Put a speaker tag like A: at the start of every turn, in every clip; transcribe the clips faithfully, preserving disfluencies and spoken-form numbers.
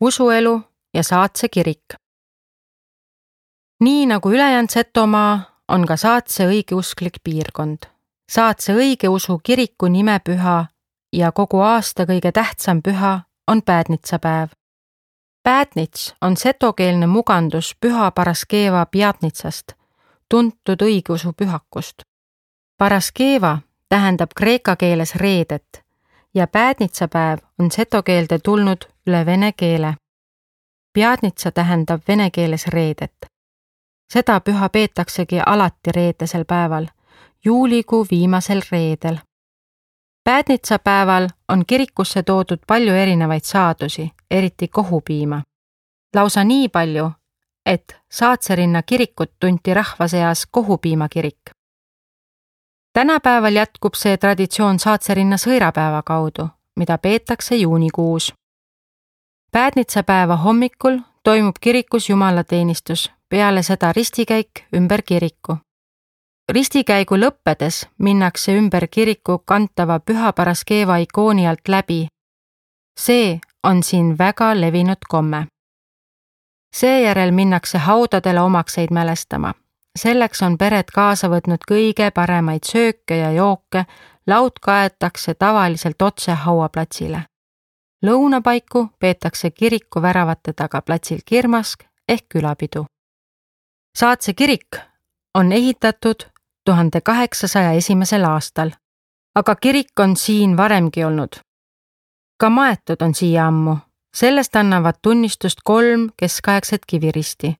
A: usuelu ja Saatse kirik. Nii nagu ülejäänud Setomaa on ka Saatse õigeusklik piirkond. Saatse õigeusu kiriku nimepüha ja kogu aasta kõige tähtsam püha on Päädnitsapäev. Päädnits on setokeelne mugandus Püha Paraskeeva Pjatnitsast, tuntud õigeusu pühakust. Paraskeeva tähendab kreeka keeles reedet ja Päädnitsapäev on setokeelde tulnud üle vene keele. Pjatnitsa tähendab vene keeles reedet. Seda püha peetaksegi alati reedesel päeval, juulikuu viimasel reedel. Päädnitsapäeval on kirikusse toodud palju erinevaid saadusi, eriti kohupiima. Lausa nii palju, et Saatserinna kirikut tunti rahva seas kohupiima kirik. Tänapäeval jätkub see traditsioon Saatserinna sõirapäeva kaudu, mida peetakse juunikuus. Päädnitsapäeva hommikul toimub kirikus jumalateenistus, peale seda ristikäik ümber kiriku. Ristikäigu lõppedes minnakse ümber kiriku kantava Püha Paraskeeva ikooni alt läbi. See on siin väga levinud komme. Seejärel minnakse haudadele omakseid mälestama. Selleks on pered kaasa võtnud kõige paremaid sööke ja jooke, laud kaetakse tavaliselt otse hauaplatsile. Lõunapaiku peetakse kiriku väravate taga platsil kirmask ehk külapidu. Saatse kirik on ehitatud tuhande kaheksasaja esimesel aastal, aga kirik on siin varemgi olnud. Ka maetud on siia ammu, sellest annavad tunnistust kolm keskaegset kiviristi.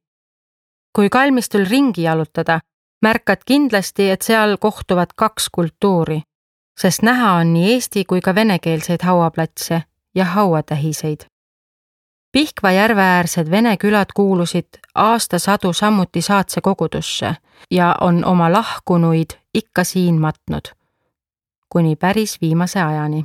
A: Kui kalmistul ringi jalutada, märkad kindlasti, et seal kohtuvad kaks kultuuri, sest näha on nii eesti kui ka venekeelseid hauaplatse ja hauatähiseid. Pihkva järveäärsed vene külad kuulusid aastasadu samuti Saatse kogudusse ja on oma lahkunuid ikka siin matnud, kuni päris viimase ajani.